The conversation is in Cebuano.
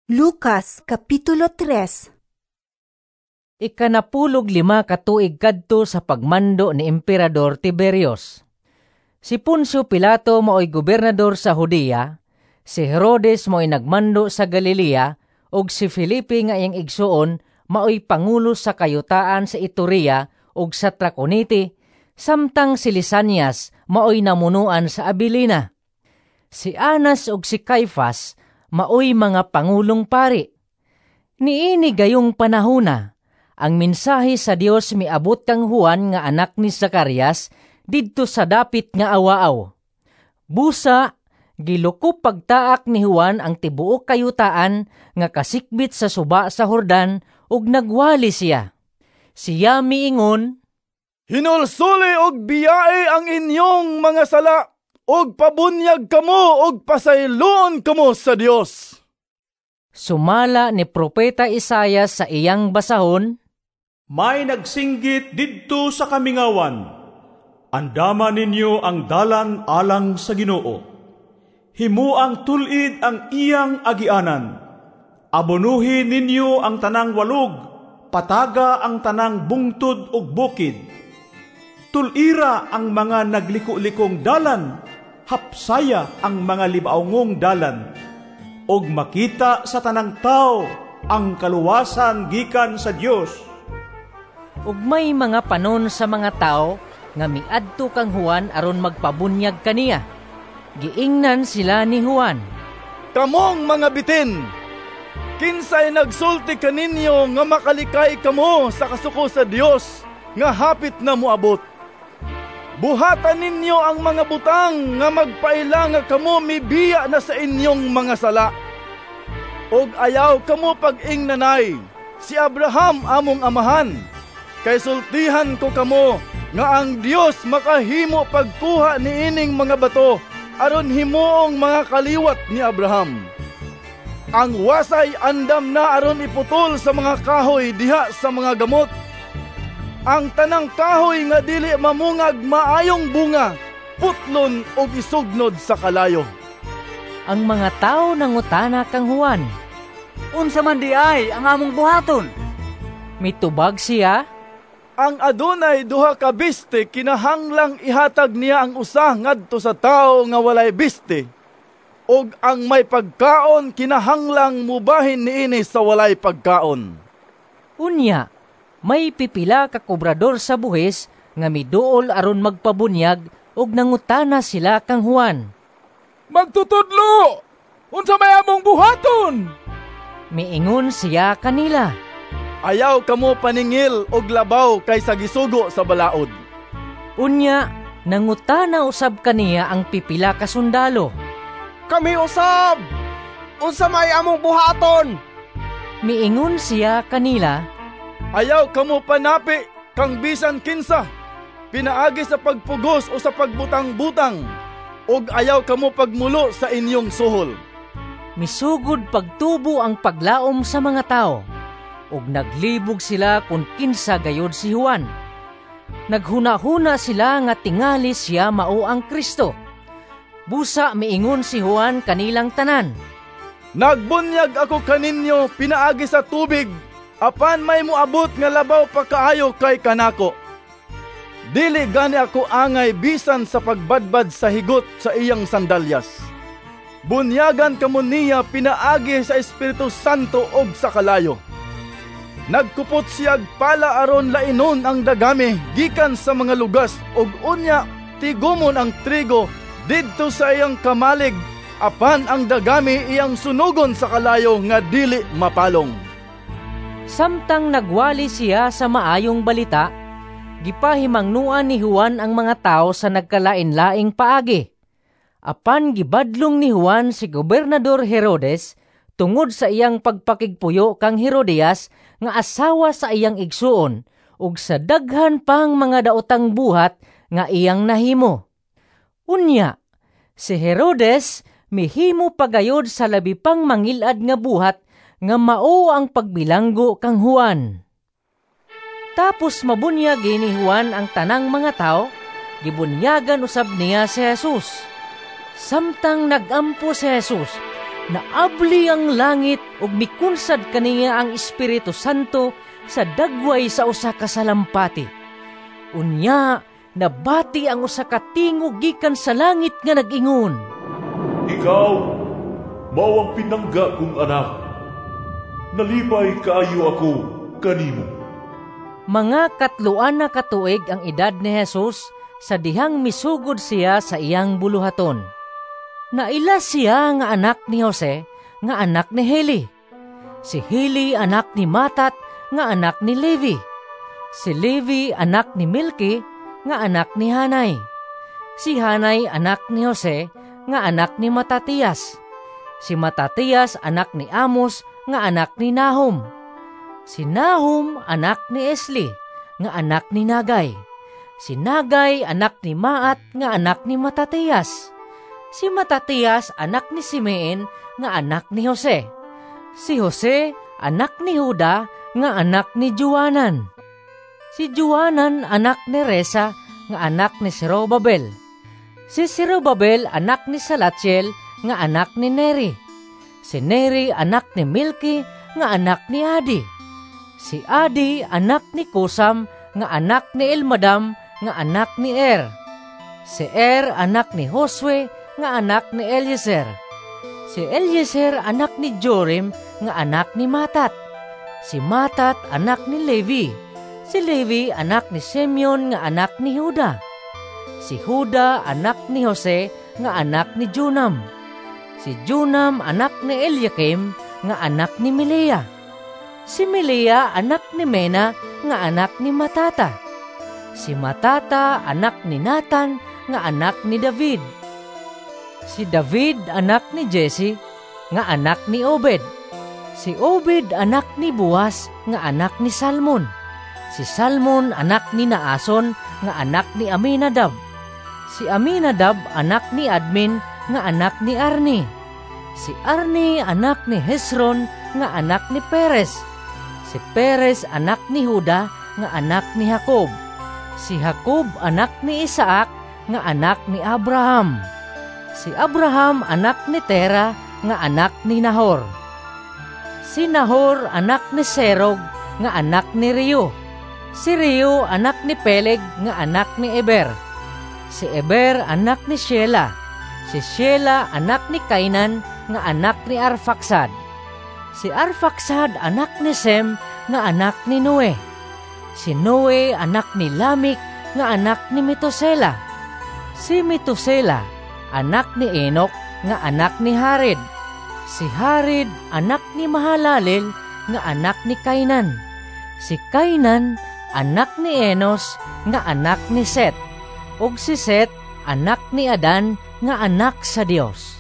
Lucas Kapitulo 3. 15 ka tuig kadto sa pagmando ni Emperador Tiberius. Si Poncio Pilato maoy gobernador sa Judea, si Herodes maoy nagmando sa Galilea, ug si Felipe nga iyang igsuon maoy pangulo sa kayutaan sa Iturea ug sa Traconite, samtang si Lisanias maoy namunuan sa Abilina. Si Anas ug si Caifas maoy mga pangulong pari. Niini gayong panahona, ang mensahe sa Dios miabot kang Juan nga anak ni Zacarias didto sa dapit nga awaaw. Busa, gilukop pagtaak ni Juan ang tibuok kayutaan nga kasikbit sa suba sa Jordan ug nagwali siya. Siya miingon, "Hinulsuli og biyae ang inyong mga sala ug pabunyag kamo og pasayloon kamo sa Dios." Sumala ni Propeta Isayas sa iyang basahon, "May nagsinggit didto sa kamingawan, andama ninyo ang dalan alang sa Ginoo. Himuang tulid ang iyang agianan. Abonuhin ninyo ang tanang walog, pataga ang tanang bungtod ug bukid. Tulira ang mga nagliko-likong dalan, hapsaya ang mga libaongong dalan. Ug makita sa tanang tao ang kaluwasan gikan sa Dios." Ug may mga panon sa mga tao nga miadto kang Juan aron magpabunyag kaniya. Giingnan sila ni Juan, "Kamong mga bitin! Kinsay nagsulti kaninyo nga makalikay kamo sa kasuko sa Dios nga hapit na moabot? Buhatan ninyo ang mga butang nga magpaila nga kamo mibiya na sa inyong mga sala. Og ayaw kamo pag-ingnanay, 'Si Abraham among amahan.' Kay sultihan ko kamo nga ang Dios makahimo pagkuha niining mga bato aron himuong mga kaliwat ni Abraham. Ang wasay andam na aron iputol sa mga kahoy diha sa mga gamot. Ang tanang kahoy nga dili mamungag maayong bunga, putlon og isugnod sa kalayo." Ang mga tawo nangutana kang Juan, "Unsa man di ay ang among buhaton?" Mitubag siya, "Ang adunay duha ka biste kinahanglang ihatag niya ang usa ngadto sa tawo nga walay biste, ug ang may pagkaon kinahanglang mubahin niini sa walay pagkaon." Unya, may pipila ka kobrador sa buhis nga miduol aron magpabunyag ug nangutana sila kang Juan, "Magtutudlo, unsa may among buhaton?" Miingon siya kanila, "Ayaw kamo paningil og labaw kaysa gisugo sa balaod." Unya, nangutana usab kaniya ang pipila ka sundalo, "Kami usab, unsa may among buhaton?" Miingon siya kanila, "Ayaw kamo panapi kang bisan kinsa, pinaagi sa pagpugos o sa pagbutang-butang, ug ayaw kamo pagmulo sa inyong suhol." Misugod pagtubo ang paglaom sa mga tao, ug naglibog sila kung kinsa gayod si Juan. Naghuna-huna sila nga tingali siya mao ang Kristo. Busa miingon si Juan kanilang tanan, "Nagbunyag ako kaninyo pinaagi sa tubig, apan may moabot nga labaw pa kaayo kay kanako. Dili gani ako angay bisan sa pagbadbad sa higot sa iyang sandalyas. Bunyagan kamo niya pinaagi sa Espiritu Santo ug sa kalayo. Nagkupot siyag pala aron lainon ang dagami gikan sa mga lugas ug unya tigumon ang trigo didto sa iyang kamalig, apan ang dagami iyang sunugon sa kalayo nga dili mapalong." Samtang nagwali siya sa maayong balita, gipahimangnuan ni Juan ang mga tao sa nagkalain-laing paagi. Apan gibadlong ni Juan si Gobernador Herodes tungod sa iyang pagpakigpuyo kang Herodias nga asawa sa iyang igsuon ug sa daghan pang mga daotang buhat nga iyang nahimo. Unya, si Herodes mihimo pagayod sa labi pang mangilad nga buhat nga mao ang pagbilanggo kang Juan. Tapos mabunyag ni Juan ang tanang mga tao, gibunyagan usab niya si Jesus. Samtang nagampo si Jesus, Naabli ang langit ug mikunsad kaniya ang Espiritu Santo sa dagway sa usa ka salampati. Unya nabati ang usa ka tingog gikan sa langit nga nag-ingon, "Ikaw mao ang pinangga kong anak. Nalipay kaayo ako kanimo." Mga 3 na ka tuig ang edad ni Jesus sa dihang misugod siya sa iyang buluhaton. Naila siya nga anak ni Jose, nga anak ni Heli. Si Heli anak ni Matat, nga anak ni Levi. Si Levi anak ni Milki, nga anak ni Hanay. Si Hanay anak ni Jose, nga anak ni Matatias. Si Matatias anak ni Amos, nga anak ni Nahum. Si Nahum anak ni Esli, nga anak ni Nagay. Si Nagay anak ni Maat, nga anak ni Matatias. Si Matatias anak ni Simeon, nga anak ni Jose. Si Jose anak ni Juda, nga anak ni Juanan. Si Juanan anak ni Resa, nga anak ni Zerubabel. Si Zerubabel anak ni Salatiel, nga anak ni Neri. Si Neri anak ni Milki, nga anak ni Adi. Si Adi anak ni Kusam, nga anak ni Elmadam, nga anak ni Er. Si Er anak ni Josue, nga anak ni Eliezer. Si Eliezer anak ni Jorim, nga anak ni Matat. Si Matat anak ni Levi. Si Levi anak ni Simeon, nga anak ni Juda. Si Juda anak ni Jose, nga anak ni Junam. Si Junam anak ni Eliakim, nga anak ni Melea. Si Melea anak ni Mena, nga anak ni Matata. Si Matata anak ni Nathan, nga anak ni David. Si David anak ni Jesse, nga anak ni Obed. Si Obed anak ni Boaz, nga anak ni Salmon. Si Salmon anak ni Naason, nga anak ni Aminadab. Si Aminadab anak ni Admin, nga anak ni Arni. Si Arni anak ni Hezron, nga anak ni Perez. Si Perez anak ni Juda, nga anak ni Jacob. Si Jacob anak ni Isaac, nga anak ni Abraham. Si Abraham anak ni Tera, nga anak ni Nahor. Si Nahor anak ni Serog, nga anak ni Reu. Si Reu anak ni Peleg, nga anak ni Eber. Si Eber anak ni Shela. Si Shela anak ni Kainan, nga anak ni Arfaxad. Si Arfaxad anak ni Sem, nga anak ni Noe. Si Noe anak ni Lamik, nga anak ni Metusela. Si Metusela anak ni Enoch, nga anak ni Hared. Si Hared anak ni Mahalalel, nga anak ni Kainan. Si Kainan anak ni Enos, nga anak ni Set. Ug si Set anak ni Adan, nga anak sa Dios.